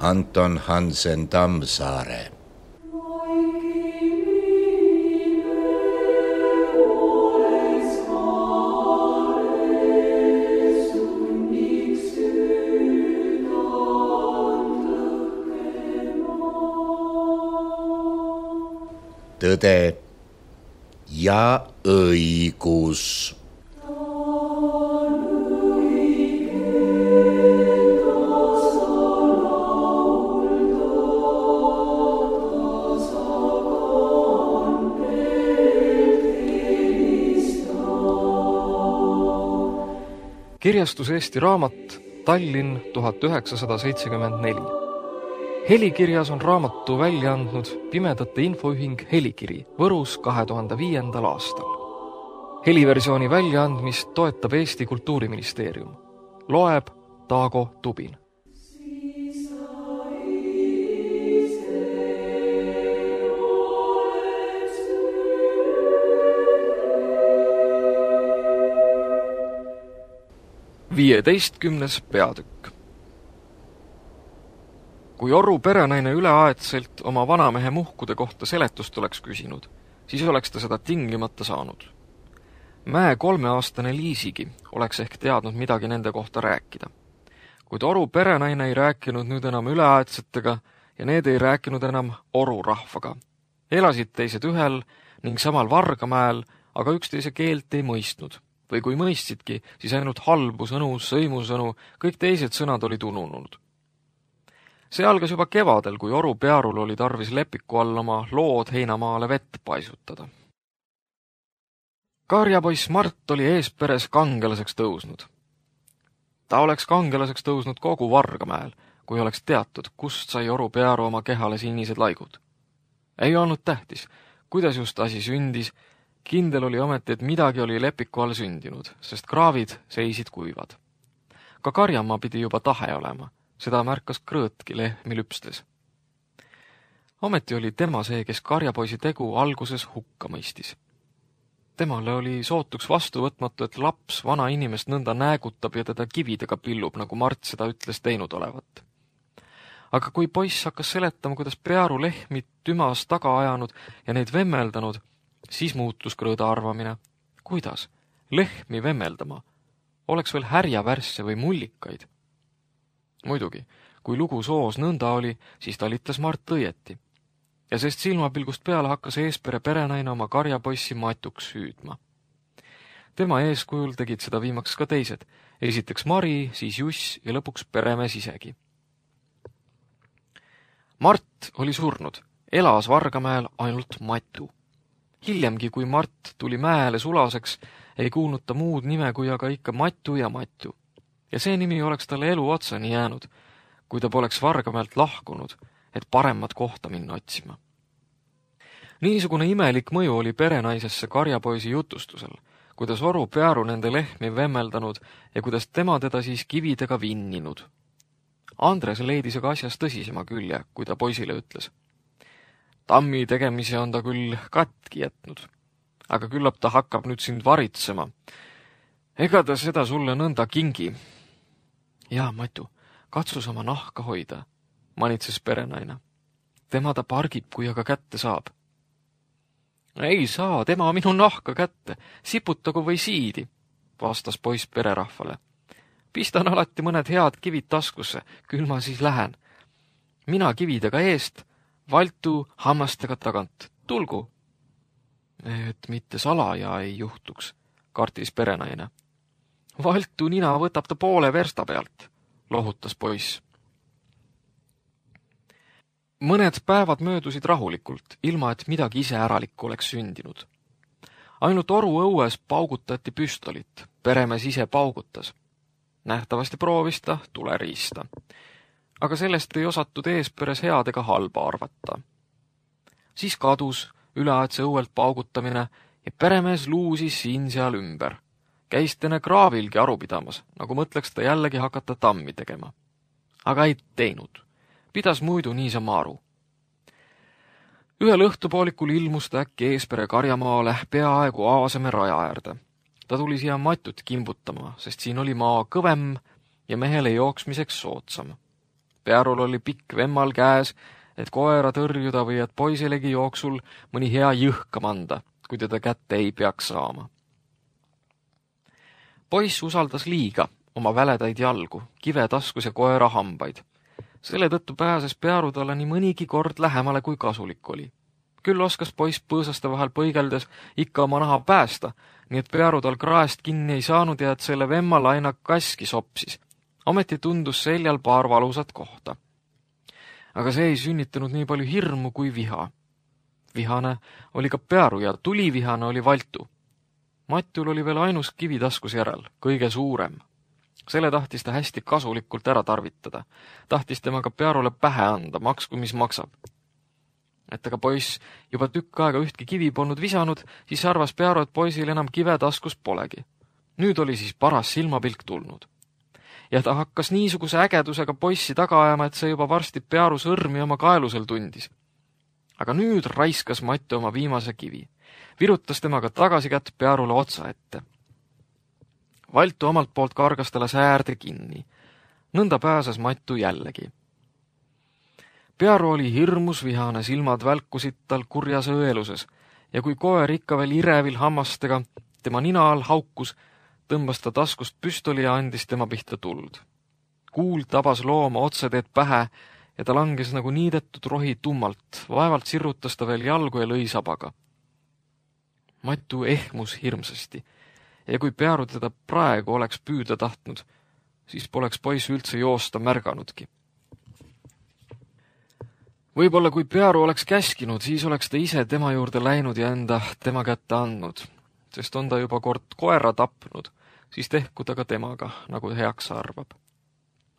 Anton Hansen Tammsaare. Tõde ja õigus. Kirjastus Eesti Raamat, Tallinn 1974. Helikirjas on raamatu välja andnud Pimedate Infoühing Helikiri Võrus 2005. aastal. Heliversiooni väljaandmist toetab Eesti Kultuuriministeerium. Loeb Taago Tubin. Viieteistkümnes peatükk. Kui Oru perenaine üleaetselt oma vanamehe muhkude kohta seletust oleks küsinud, siis oleks ta seda tingimata saanud. Mäe 3-aastane Liisigi oleks ehk teadnud midagi nende kohta rääkida. Kuid Oru perenaine ei rääkinud nüüd enam üleaetsetega ja need ei rääkinud enam Oru rahvaga. Elasid teised ühel ning samal Vargamäel, aga üksteise keelt ei mõistnud. Või kui mõistsidki, siis ainult halbu sõnu, sõimusõnu, kõik teised sõnad olid ununud. See algas juba kevadel, kui Oru Pearul oli tarvis lepiku all oma lood heinamaale vett paisutada. Karjapoiss Mart oli eesperes kangelaseks tõusnud. Ta oleks kangelaseks tõusnud kogu Vargamäel, kui oleks teatud, kust sai Oru Pearu oma kehale sinised laigud. Ei olnud tähtis, kuidas just asi sündis. Kindel oli ometi, et midagi oli lepiku all sündinud, sest kraavid seisid kuivad. Ka Karjamaa pidi juba tahe olema, seda märkas Krõõtki lehmi lüpstes. Ometi oli tema see, kes Karjapoisi tegu alguses hukka mõistis. Temale oli sootuks vastuvõtmatu, et laps vana inimest nõnda näägutab ja teda kividega pillub, nagu Mart seda ütles teinud olevat. Aga kui poiss hakkas seletama, kuidas Pearu lehmi tümas taga ajanud ja neid vemmeldanud, siis muutus Krõõda arvamine. Kuidas? Lehmi vemmeldama? Oleks veel härjavärsse või mullikaid? Muidugi, kui lugu soos nõnda oli, siis talitas Mart õieti. Ja sest silmapilgust peale hakkas eespere perenaine oma karjapoissi Matuks hüüdma. Tema eeskujul tegid seda viimaks ka teised. Esiteks Mari, siis Juss ja lõpuks peremees isegi. Mart oli surnud. Elas Vargamäel ainult Matu. Hiljemgi, kui Mart tuli mäele sulaseks, ei kuulnud ta muud nime kui aga ikka Matu ja Matu. Ja see nimi oleks talle elu otsani jäänud, kui ta poleks Vargamäelt lahkunud, et paremat kohta minna otsima. Niisugune imelik mõju oli perenaisesse Karjapoisi jutustusel, kuidas Oru Pearu nende lehmi vemmeldanud ja kuidas tema teda siis kividega vinninud. Andres leidis aga asjas tõsisema külje, kui ta poisile ütles. Tammi tegemise on ta küll katki jätnud, aga küllap ta hakkab nüüd sind varitsema. Ega ta seda sulle nõnda kingi. Jaa, Matu, katsus oma nahka hoida, manitses perenaine. Tema ta pargib, kui aga kätte saab. Ei saa, tema minu nahka kätte, siputagu või siidi, vastas poiss pererahvale. Pistan alati mõned head kivid taskusse, küll ma siis lähen. Mina kividega eest, Valtu hammastega tagant. Tulgu! Et mitte salaja ei juhtuks, kartis perenaine. Valtu nina võtab ta poole versta pealt, lohutas poiss. Mõned päevad möödusid rahulikult, ilma et midagi iseäralikku oleks sündinud. Ainult Oru õues paugutati püstolit, peremees ise paugutas. Nähtavasti proovis ta tuleriista. Aga sellest ei osatud eesperes head ega halba arvata. Siis kadus üleaetse õuelt paugutamine ja peremees luusis siin-seal ümber. Käis tene kraavilgi aru pidamas, nagu mõtleks ta jällegi hakata tammi tegema. Aga ei teinud. Pidas muidu niisama aru. Ühel õhtupoolikul ilmus ta äkki eespere Karjamaale peaaegu Aaseme raja äärde. Ta tuli siia Matut kimbutama, sest siin oli maa kõvem ja mehele jooksmiseks soodsam. Pearul oli pikk vemmal käes, et koera tõrjuda või et poiselegi jooksul mõni hea jõhkam anda, kui teda kätte ei peaks saama. Poiss usaldas liiga oma väledaid jalgu, kive taskus ja koera hambaid. Selle tõttu pääses Pearu talle nii mõnigi kord lähemale, kui kasulik oli. Küll oskas poiss põõsaste vahel põigeldes ikka oma naha päästa, nii et Pearu tal kraest kinni ei saanud ja et selle vemmal aina kaski sopsis. Ometi tundus seljal paar valusat kohta. Aga see ei sünnitanud nii palju hirmu kui viha. Vihane oli ka Pearu ja tulivihane oli Valtu. Mattul oli veel ainus kivi taskus järel, kõige suurem. Selle tahtis ta hästi kasulikult ära tarvitada. Tahtis temaga Pearule pähe anda, maksku mis maksab. Et aga poiss juba tükk aega ühtki kivi polnud visanud, siis arvas Pearu, et poisil enam kive taskus polegi. Nüüd oli siis paras silmapilk tulnud. Ja ta hakkas niisuguse ägedusega poissi taga ajama, et see juba varsti Pearu sõrmi oma kaelusel tundis. Aga nüüd raiskas Mattu oma viimase kivi. Virutas temaga tagasikätt Pearule otsa ette. Valtu omalt poolt kargas talle säärde kinni. Nõnda pääses Mattu jällegi. Pearu oli hirmus vihane, silmad välkusid tal kurjas õeluses ja kui koer ikka veel irevil hammastega tema nina all haukus, tõmbas ta taskust püstoli ja andis tema pihta tuld. Kuul tabas looma otseteed pähe ja ta langes nagu niidetud rohi tummalt, vaevalt sirrutas ta veel jalgu ja lõi sabaga. Mattu ehmus hirmsasti ja kui Pearu teda praegu oleks püüda tahtnud, siis poleks poiss üldse joosta märganudki. Võib-olla kui Pearu oleks käskinud, siis oleks ta ise tema juurde läinud ja enda tema kätte andnud, sest on ta juba kord koera tapnud, siis tehku ta ka temaga, nagu heaks arvab.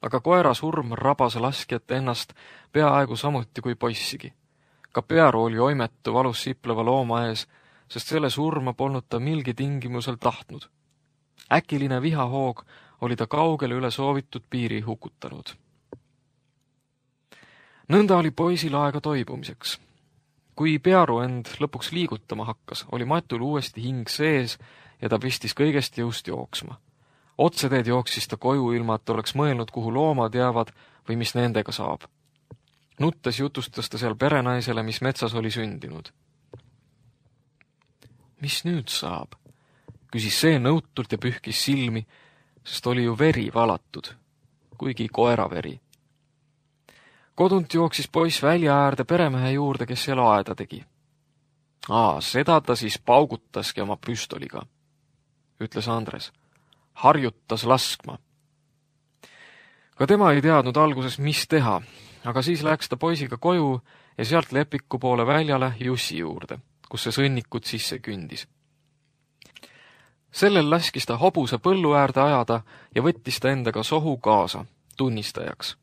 Aga koera surm rabas laskjat ennast peaaegu samuti kui poissigi. Ka Pearu oli oimetu valus sipleva looma ees, sest selle surma polnud ta milgi tingimusel tahtnud. Äkiline vihahoog oli ta kaugele üle soovitud piiri hukutanud. Nõnda oli poisil aega toibumiseks. Kui Pearu end lõpuks liigutama hakkas, oli Matul uuesti hing sees ja ta pistis kõigest jõust jooksma. Otseteed jooksis ta koju ilma, et oleks mõelnud, kuhu loomad jäävad või mis nendega saab. Nuttes jutustas ta seal perenaisele, mis metsas oli sündinud. Mis nüüd saab? Küsis see nõutult ja pühkis silmi, sest oli ju veri valatud, kuigi koeraveri. Kodunt jooksis poiss välja äärde peremehe juurde, kes seal aeda tegi. Seda ta siis paugutaski oma püstoliga, ütles Andres. Harjutas laskma. Ka tema ei teadnud alguses, mis teha, aga siis läks ta poisiga koju ja sealt Lepiku poole väljale Jussi juurde, kus see sõnnikud sisse kündis. Sellel laskis ta hobuse põllu äärde ajada ja võttis ta endaga sohu kaasa, tunnistajaks.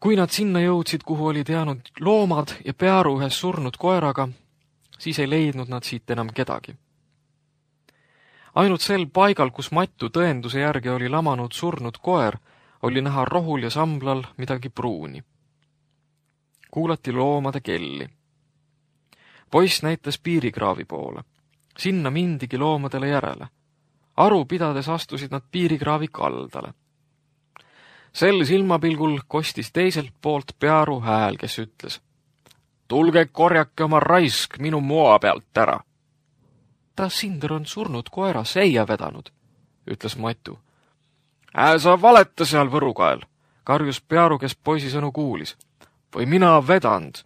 Kui nad sinna jõudsid, kuhu olid jäänud loomad ja Pearu ühes surnud koeraga, siis ei leidnud nad siit enam kedagi. Ainult sel paigal, kus Mattu tõenduse järgi oli lamanud surnud koer, oli näha rohul ja samblal midagi pruuni. Kuulati loomade kelli. Poiss näitas piirikraavi poole. Sinna mindigi loomadele järele. Aru pidades astusid nad piirikraavi kaldale. Sel silmapilgul kostis teiselt poolt Pearu hääl, kes ütles: Tulge korjake oma raisk minu moa pealt ära. Ta Sinder on surnud koera seia vedanud, ütles Mattu. Sa valeta seal Võrukael, karjus Pearu, kes poisi sõnu kuulis. Või mina vedanud,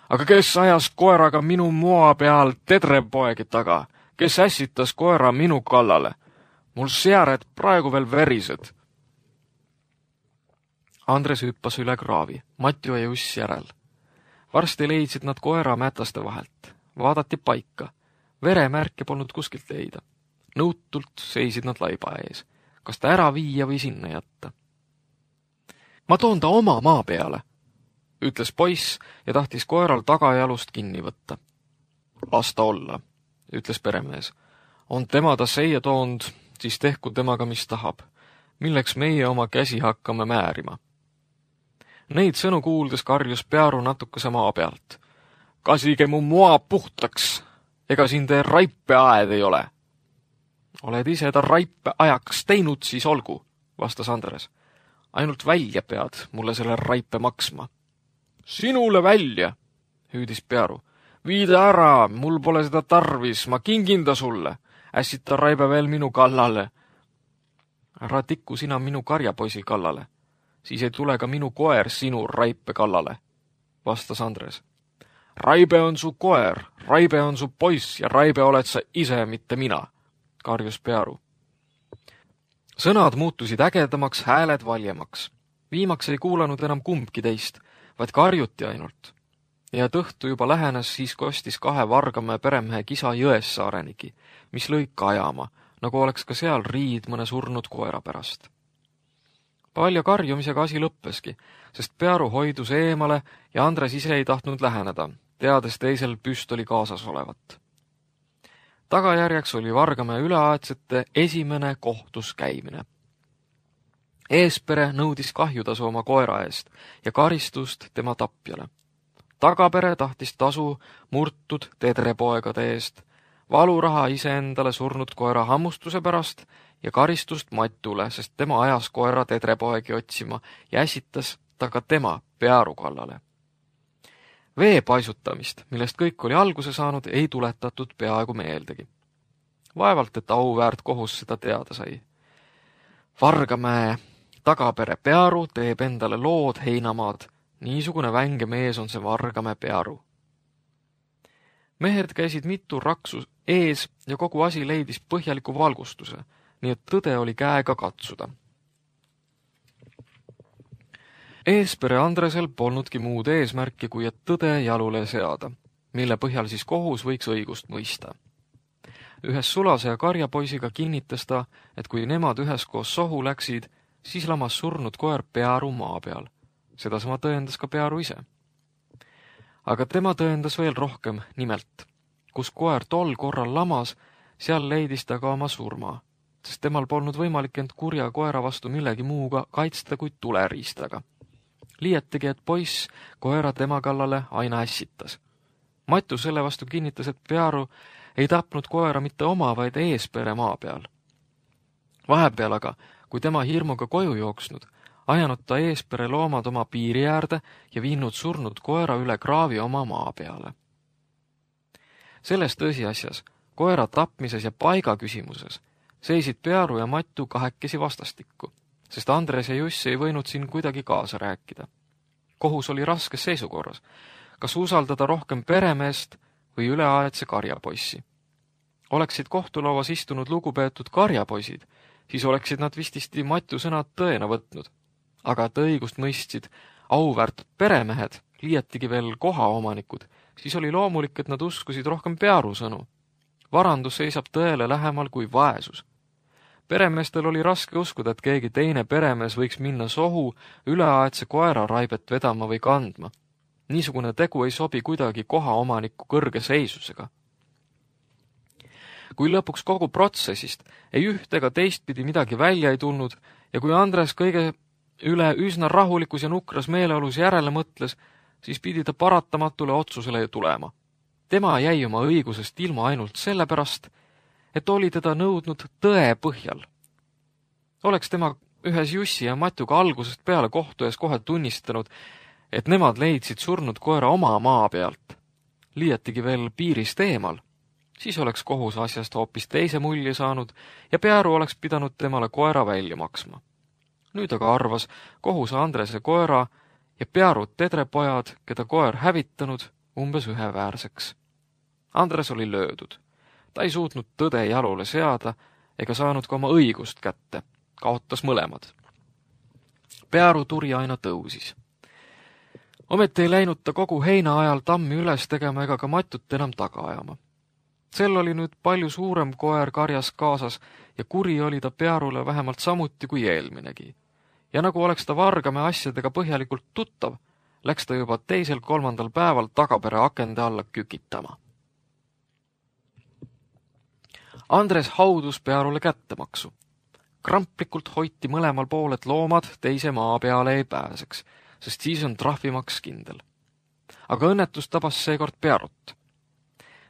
aga kes ajas koeraga minu moa peal tedrepoegi taga, kes ässitas koera minu kallale. Mul seared praegu veel verised. Andres hüppas üle kraavi, Matju ja Juss järel. Varsti leidsid nad koera mätaste vahelt. Vaadati paika. Veremärke polnud kuskilt leida. Nõutult seisid nad laiba ees. Kas ta ära viia või sinna jätta? Ma toon ta oma maa peale, ütles poiss ja tahtis koeral tagajalust kinni võtta. Las ta olla, ütles peremees. On tema ta seia toond, siis tehku temaga mis tahab. Milleks meie oma käsi hakkame määrima? Neid sõnu kuuldes karjus Pearu natukese maa pealt. Kasige mu moa puhtaks, ega siin te raipeaed ei ole. Oled ise ta raipeajaks teinud, siis olgu, vastas Andres. ainult välja pead mulle selle raipe maksma. Sinule välja, hüüdis Pearu. Viida ära, mul pole seda tarvis, ma kingin ta sulle. Ässita raibe veel minu kallale. Ära tikku sina minu karjapoisi kallale, siis ei tule ka minu koer sinu raipe kallale, vastas Andres. Raibe on su koer, Raibe on su poiss ja Raibe oled sa ise, mitte mina, karjus Pearu. Sõnad muutusid ägedamaks, hääled valjemaks. Viimaks ei kuulanud enam kumbki teist, vaid karjuti ainult. Ja õhtu juba lähenes, siis kostis 2 Vargamäe peremehe kisa Jõessaarenigi, mis lõi kajama, nagu oleks ka seal riid mõne surnud koera pärast. Palja karjumisega asi lõppeski, sest Pearu hoidus eemale ja Andres ise ei tahtnud läheneda, teades teisel püstoli kaasas olevat. Tagajärjeks oli Vargamäe üleaedsete esimene kohtus käimine. Eespere nõudis kahjutasu oma koera eest ja karistust tema tapjale. Tagapere tahtis tasu murtud tedrepoegade eest, valuraha iseendale surnud koera hammustuse pärast ja karistust Matule, sest tema ajas koera tedrepoegi otsima ja äsitas ta ka tema Pearu kallale. Vee paisutamist, millest kõik oli alguse saanud, ei tuletatud peaaegu meeldegi. Vaevalt, et auväärt kohus seda teada sai. Vargamäe tagapere Pearu teeb endale lood heinamaad. Niisugune vänge mees on see Vargamäe Pearu. Mehed käisid mitu raksu ees ja kogu asi leidis põhjaliku valgustuse, nii et tõde oli käega katsuda. Eespere Andresel polnudki muud eesmärki, kui et tõde jalule seada, mille põhjal siis kohus võiks õigust mõista. Ühes Sulase ja karjapoisiga kinnitas ta, et kui nemad üheskoos sohu läksid, siis lamas surnud koer Pearu maa peal. Sedasama tõendas ka Pearu ise. Aga tema tõendas veel rohkem, nimelt, kus koer tol korral lamas, seal leidis ta ka oma surma, sest temal polnud võimalik end kurja koera vastu millegi muuga kaitsta kui tuleriistaga. Liietigi, et poiss koera tema kallale aina ässitas. Matu selle vastu kinnitas, et Pearu ei tapnud koera mitte oma, vaid Eespere maa peal. Vahepeal aga, kui tema hirmuga koju jooksnud, ajanud ta Eespere loomad oma piiri äärde ja viinud surnud koera üle kraavi oma maa peale. Selles tõsiasjas, koera tapmises ja paiga küsimuses, seisid Pearu ja Matu kahekesi vastastikku, sest Andres ja Juss ei võinud siin kuidagi kaasa rääkida. Kohus oli raskes seisukorras, kas usaldada rohkem peremeest või üleaedse karjapoissi. Oleksid kohtulauas istunud lugupeetud karjapoisid, siis oleksid nad vististi Matu sõnad tõena võtnud. Aga et õigust mõistsid auväärt peremehed, liiatigi veel kohaomanikud, siis oli loomulik, et nad uskusid rohkem Pearu sõnu. Varandus seisab tõele lähemal kui vaesus. Peremeestel oli raske uskuda, et keegi teine peremees võiks minna sohu üleaedse koera raibet vedama või kandma. Niisugune tegu ei sobi kuidagi kohaomaniku kõrge seisusega. Kui lõpuks kogu protsessist ei üht ega teistpidi midagi välja ei tulnud ja kui Andres kõige üle üsna rahulikus ja nukras meeleolus järele mõtles, siis pidi ta paratamatule otsusele tulema. Tema jäi oma õigusest ilma ainult sellepärast, et oli teda nõudnud tõe põhjal. Oleks tema ühes Jussi ja Matuga algusest peale kohtu ees kohe tunnistanud, et nemad leidsid surnud koera oma maa pealt, liiatigi veel piirist eemal, siis oleks kohus asjast hoopis teise mulje saanud ja Pearu oleks pidanud temale koera välja maksma. Nüüd aga arvas kohus Andrese koera ja Pearut tedrepojad, keda koer hävitanud, umbes üheväärseks. Andres oli löödud. Ta ei suutnud tõde jalule seada ega saanud ka oma õigust kätte, kaotas mõlemad. Pearu turi aina tõusis. Ometi ei läinud ta kogu heina ajal tammi üles tegema ega ka Matut enam taga ajama. Sel oli nüüd palju suurem koer karjas kaasas ja kuri oli ta Pearule vähemalt samuti kui eelminegi. Ja nagu oleks ta Vargamäe asjadega põhjalikult tuttav, läks ta juba 2.-3. päeval tagapere akende alla kükitama. Andres haudus Pearule kättemaksu. Kramplikult hoiti mõlemal pool, et loomad teise maa peale ei pääseks, sest siis on trahvimaks kindel. Aga õnnetus tabas seekord Pearut.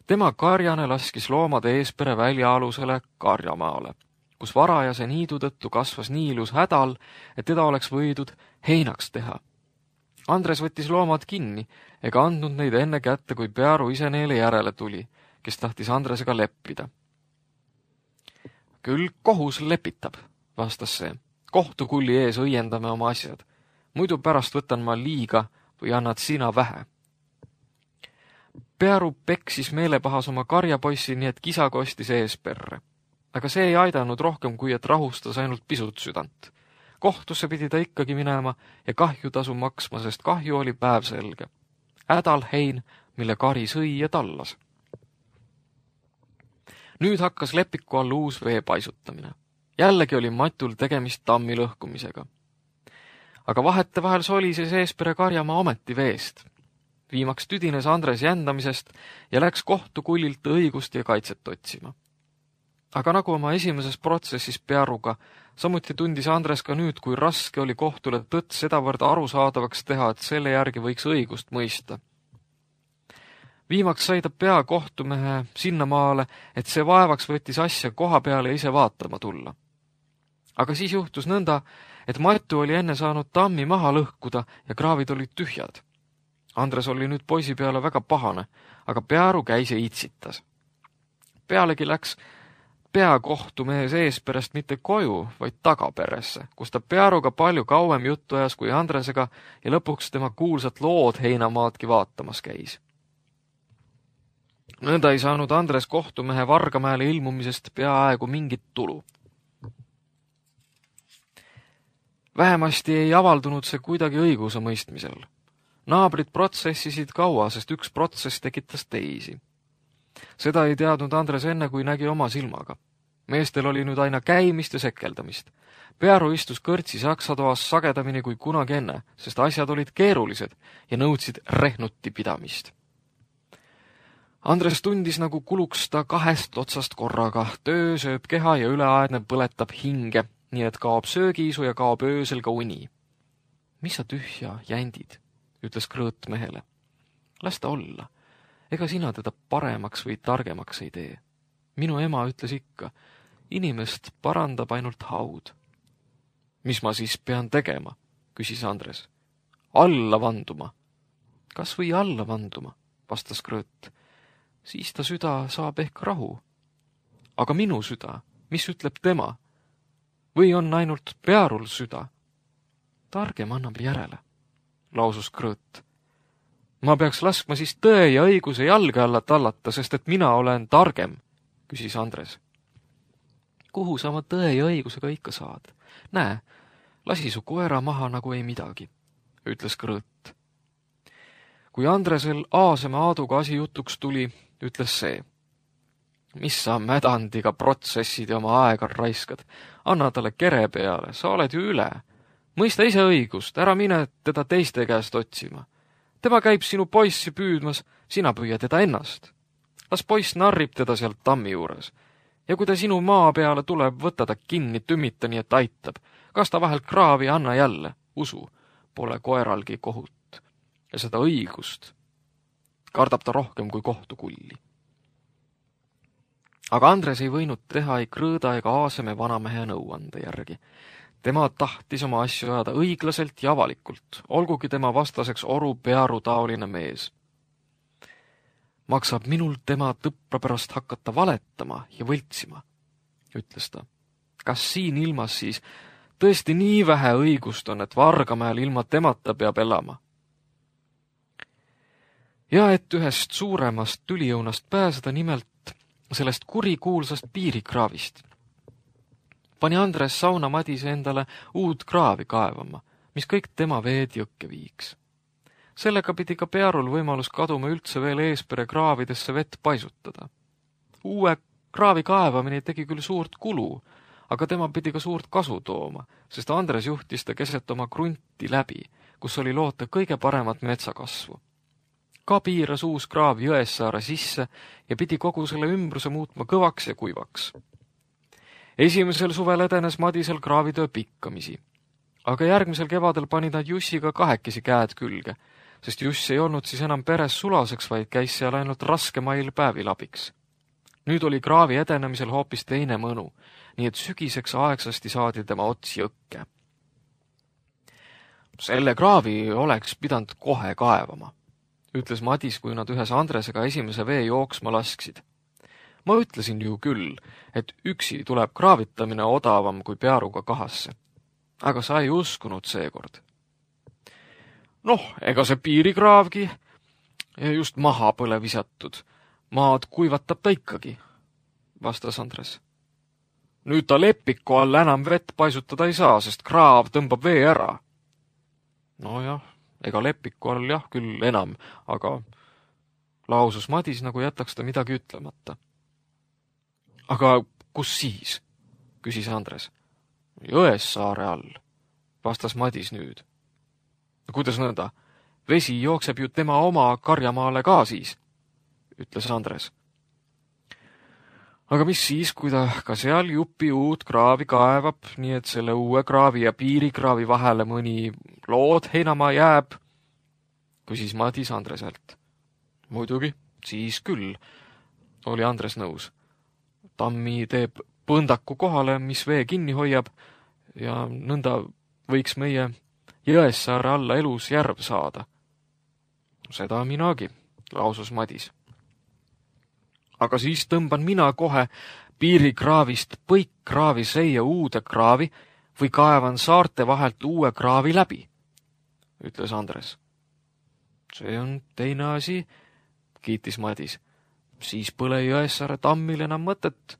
Tema karjane laskis loomade Eespere väljaalusele karjamaale, kus varajase niidu tõttu kasvas nii ilus hädal, et teda oleks võidud heinaks teha. Andres võttis loomad kinni ega andnud neid enne kätte, kui Pearu ise neile järele tuli, kes tahtis Andresega leppida. Küll kohus lepitab, vastas see. Kohtukulli ees õiendame oma asjad. Muidu pärast võtan ma liiga või annad sina vähe. Pearu peksis meelepahas oma karjapoissi, nii et kisa kostis ees perre. Aga see ei aidanud rohkem, kui et rahustas ainult pisut südant. Kohtusse pidi ta ikkagi minema ja kahjutasu maksma, sest kahju oli päevselge. Hädal hein, mille kari sõi ja tallas. Nüüd hakkas lepiku all uus vee paisutamine. Jällegi oli Matul tegemist tammi lõhkumisega. Aga vahetevahel solises Eespere karjamaa ometi veest. Viimaks tüdines Andres jändamisest ja läks kohtukullilt õigust ja kaitset otsima. Aga nagu oma esimeses protsessis Pearuga, samuti tundis Andres ka nüüd, kui raske oli kohtule tõtt sedavõrd arusaadavaks teha, et selle järgi võiks õigust mõista. Viimaks sai ta pea kohtumehe sinnamaale, et see vaevaks võttis asja koha peale ja ise vaatama tulla. Aga siis juhtus nõnda, et Matu oli enne saanud tammi maha lõhkuda ja kraavid olid tühjad. Andres oli nüüd poisi peale väga pahane, aga Pearu käis ja itsitas. Pealegi läks peakohtumees Eesperest mitte koju, vaid tagaperesse, kus ta Pearuga palju kauem juttu ajas kui Andresega ja lõpuks tema kuulsat lood heinamaadki vaatamas käis. Nõnda ei saanud Andres kohtumehe Vargamäele ilmumisest peaaegu mingit tulu. Vähemasti ei avaldunud see kuidagi õiguse mõistmisel. Naabrid protsessisid kaua, sest üks protsess tekitas teisi. Seda ei teadnud Andres enne, kui nägi oma silmaga. Meestel oli nüüd aina käimist ja sekeldamist. Pearu istus kõrtsi saksatoas sagedamini kui kunagi enne, sest asjad olid keerulised ja nõudsid rehnuti pidamist. Andres tundis, nagu kuluks ta kahest otsast korraga. Töö sööb keha ja üleaedne põletab hinge, nii et kaob söögiisu ja kaob öösel ka uni. Mis sa tühja jändid, ütles Krõõt mehele. Las ta olla. Ega sina teda paremaks või targemaks ei tee. Minu ema ütles ikka, inimest parandab ainult haud. Mis ma siis pean tegema, küsis Andres. Alla vanduma. Kas või alla vanduma, vastas Krõõt. Siis ta süda saab ehk rahu. Aga minu süda, mis ütleb tema? Või on ainult Pearul süda? Targem annab järele, lausus Krõõt. Ma peaks laskma siis tõe ja õiguse jalge alla tallata, sest et mina olen targem, küsis Andres. Kuhu sa oma tõe ja õigusega ikka saad? Näe, lasi su koera maha nagu ei midagi, ütles Krõõt. Kui Andresel Aaseme Aaduga asi jutuks tuli, ütles see. Mis sa mädandiga protsessid ja oma aega raiskad? Anna talle kere peale, sa oled ju üle. Mõista ise õigust, ära mine teda teiste käest otsima. Tema käib sinu poissi püüdmas, sina püüa teda ennast. Las poiss narrib teda sealt tammi juures. Ja kui ta sinu maa peale tuleb, võta ta kinni, tümmita nii, et aitab. Kas ta vahel kraavi anna jälle? Usu, pole koeralgi kohut. Ja seda õigust kardab ta rohkem kui kohtukulli. Aga Andres ei võinud teha ei Krõõda ega Aaseme vanamehe nõuande järgi. Tema tahtis oma asju ajada õiglaselt ja avalikult, olgugi tema vastaseks Oru Pearu taoline mees. Maksab minul tema tõppra pärast hakata valetama ja võltsima, ütles ta. Kas siin ilmas siis tõesti nii vähe õigust on, et Vargamäel ilma temata peab elama? Ja et ühest suuremast tülijõunast pääseda, nimelt sellest kurikuulsast piirikraavist, pani Andres Sauna Madise endale uut kraavi kaevama, mis kõik tema veed jõkke viiks. Sellega pidi ka Pearul võimalus kaduma üldse veel Eespere kraavidesse vett paisutada. Uue kraavi kaevamine tegi küll suurt kulu, aga tema pidi ka suurt kasu tooma, sest Andres juhtis ta keset oma krunti läbi, kus oli loota kõige paremat metsakasvu. Ka piiras uus kraav Jõessaare sisse ja pidi kogu selle ümbruse muutma kõvaks ja kuivaks. Esimesel suvel edenes Madisel kraavitöö pikkamisi, aga järgmisel kevadel panid nad Jussiga kahekesi käed külge, sest Juss ei olnud siis enam peres sulaseks, vaid käis seal ainult raskemail päevil abiks. Nüüd oli kraavi edenemisel hoopis teine mõnu. nii et sügiseks aegsasti saadi tema ots jõkke. Selle kraavi oleks pidanud kohe kaevama, ütles Madis, kui nad ühes Andresega esimese vee jooksma lasksid. Ma ütlesin ju küll, et üksi tuleb kraavitamine odavam kui pearuga kahasse. Aga sa ei uskunud seekord. Noh, ega see piirikraavgi just maha põle visatud. Maad kuivatab ta ikkagi, vastas Andres. Nüüd ta lepiku all enam vett paisutada ei saa, sest kraav tõmbab vee ära. Nojah, ega lepiku all jah küll enam, aga lausus Madis, nagu jätaks ta midagi ütlemata. Aga kus siis? Küsis Andres. Jõessaare all, vastas Madis nüüd. Kuidas nõnda? Vesi jookseb ju tema oma karjamaale ka siis, ütles Andres. Aga mis siis, kui ta ka seal jupi uut kraavi kaevab, nii et selle uue kraavi ja piirikraavi vahele mõni lood heinamaa jääb, küsis Madis Andreselt. Muidugi, siis küll, oli Andres nõus. Tammi teeb põndaku kohale, mis vee kinni hoiab, ja nõnda võiks meie Jõessaare alla elus järv saada. Seda minagi, lausus Madis. Aga siis tõmban mina kohe piirikraavist põikkraavi seia uude kraavi või kaevan saarte vahelt uue kraavi läbi, ütles Andres. See on teine asi, kiitis Madis. Siis põle Jõessaare tammil enam mõtet.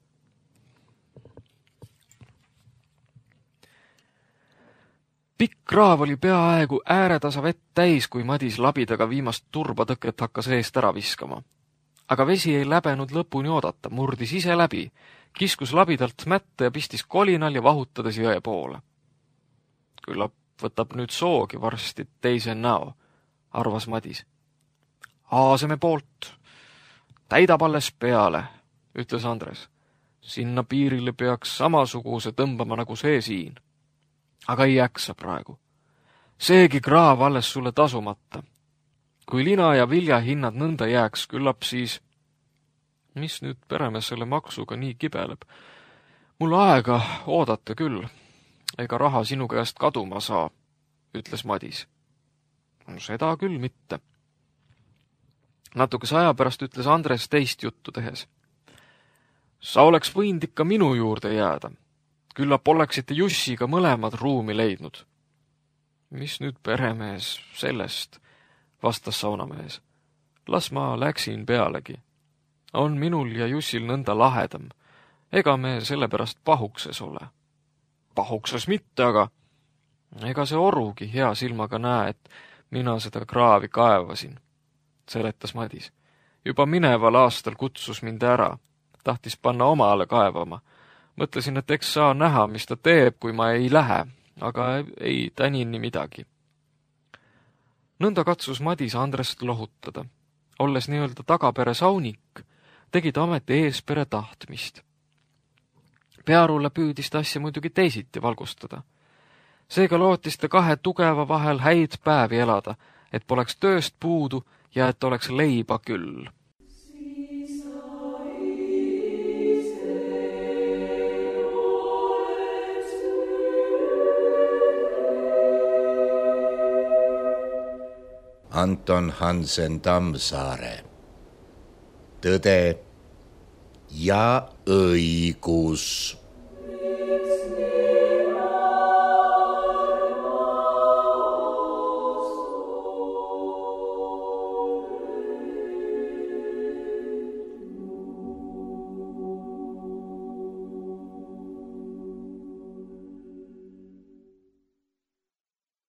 Pikk kraav oli peaaegu ääretasa vett täis, kui Madis labidaga viimast turbatõket hakkas eest ära viskama. Aga vesi ei läbenud lõpuni oodata, murdis ise läbi, kiskus labidalt mätte ja pistis kolinal ja vahutades jõe poole. Küllap võtab nüüd soogi varsti teise näo, arvas Madis. Aaseme poolt, täidab alles peale, ütles Andres. Sinna piirile peaks samasuguse tõmbama nagu see siin. Aga ei jaksa praegu. Seegi kraav alles sulle tasumata. Kui lina ja vilja hinnad nõnda jääks, küllap siis... Mis nüüd peremees selle maksuga nii kibeleb? Mul aega oodata küll. Ega raha sinu käest kaduma saa, ütles Madis. Seda küll mitte. Natukese aja pärast ütles Andres teist juttu tehes. Sa oleks võinud ikka minu juurde jääda. Küllap oleksite Jussiga mõlemad ruumi leidnud. Mis nüüd peremees sellest, vastas saunamees. Las ma läksin pealegi. On minul ja Jussil nõnda lahedam. Ega me sellepärast pahukses ole. Pahukses mitte, aga ega see orugi hea silmaga näe, et mina seda kraavi kaevasin, seletas Madis. Juba mineval aastal kutsus mind ära. Tahtis panna omale kaevama. Mõtlesin, et eks saa näha, mis ta teeb, kui ma ei lähe, aga ei tänini midagi. Nõnda katsus Madis Andrest lohutada. Olles nii-öelda tagapere saunik, tegi ta ameti eespere tahtmist. Pearule püüdis ta asja muidugi teisiti valgustada. Seega lootis ta kahe tugeva vahel häid päevi elada, et poleks tööst puudu ja et oleks leiba küll. Anton Hansen Tammsaare. Tõde ja õigus.